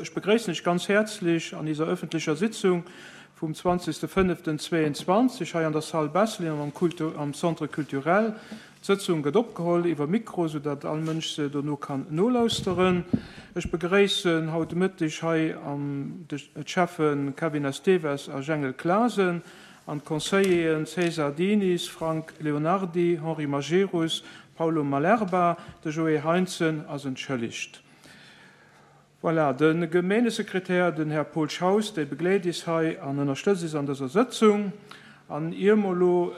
Ech begréissen lech ganz häerzlech an iser öffentlecher Sitzung vum 20.05.22 hei an der Salle Besselin an am Centre culturel. D'Sëtzung gëtt opgeholl iwwer Mikro, sou datt all Mënsch se dono kann nolauschteren. Ech begréissen haut de Mëtteg hei d'Schäffe Kevin Esteves a Jengel Clasen an d'Conseilleren César Diniz, Frank Leonardy, Henri Majerus, Paulo Malerba. De Joé Heintzen ass entschëllegt. Voilà, de Gemeengesekretär, den Här Paul Schaus, dee begleet is hei an ënnerstëtzt is an dëser Sëtzung. An ier mer elo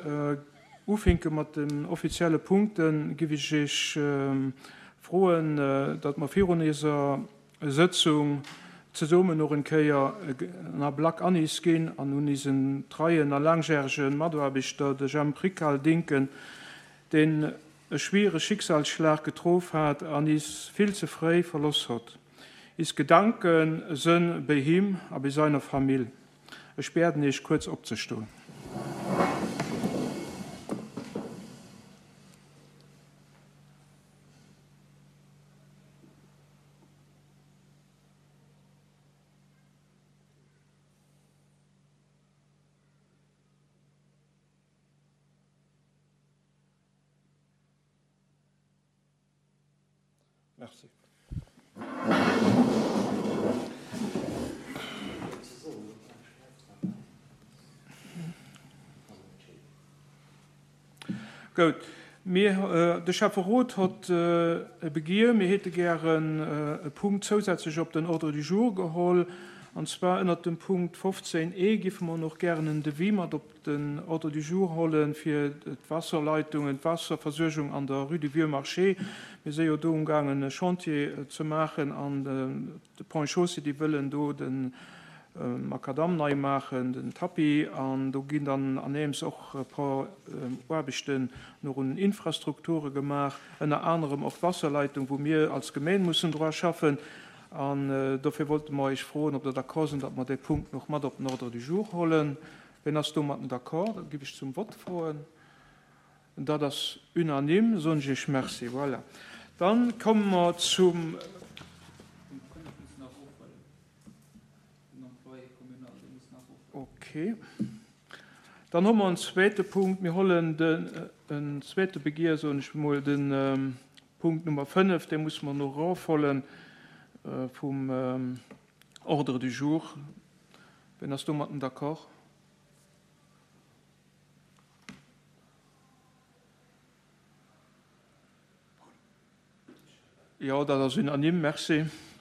ufinke mat den offizielle Punkten, giff ech Iech froen, datt mer virun iser Sëtzung zesummen och en Kéier en Ablack an is ginn an un isen treien a laangjärege Mataarbechter, de Jemp Rical, dinken, deen e schwiere Schicksalsschlag getrof hat an is vill ze fréi verloss hott. Is Gedanken sënn béi him a béi seiner Famill. Ech biäden Iech kuerz opzestoen. Merci. Goud. Mir, de Schäfferot hott e Begier, mir hätte gären e Punkt zousätzlech op den Ordre du jour geholl, an zwar ënnert dem Punkt 15 e giffe mer och gären en Devis mat op den Ordre du jour holle fir d'Waasserleitungen, d'Waasserversuergung an der Rue du Vieux Marché. Mir si jo do umgaangen e Chantier ze maachen an de Ponts et Chaussées, déi wëllen do de Macadam nei maachen, den Tapis, an do ginn dann aneems och e par Aarbechten nach un den Infrastrukture gemaach, ënner anerem och d'Wasserleitung, wou mir als Gemeen mussen dra schaffen. An dofir wollte mer Iech froen, ob Der d'accord sinn, datt mer dee Punkt nach mat op den Ordre du jour hollen. Wien ass domatten d'accord? Dat giff ech zum Vott froen. Dat ass unanime, soen ech Iech Merci. Voilà. Dann komme mer zum. Okay. Dann hu mer en zweete Punkt. Mir hollen den, en zweete Begier, soen ech emol, de Punkt Nummer 5, dee musse mer no erofhollen vum Ordre du jour. Wien ass domatten d'accord? Jo, dat ass unanime. Merci.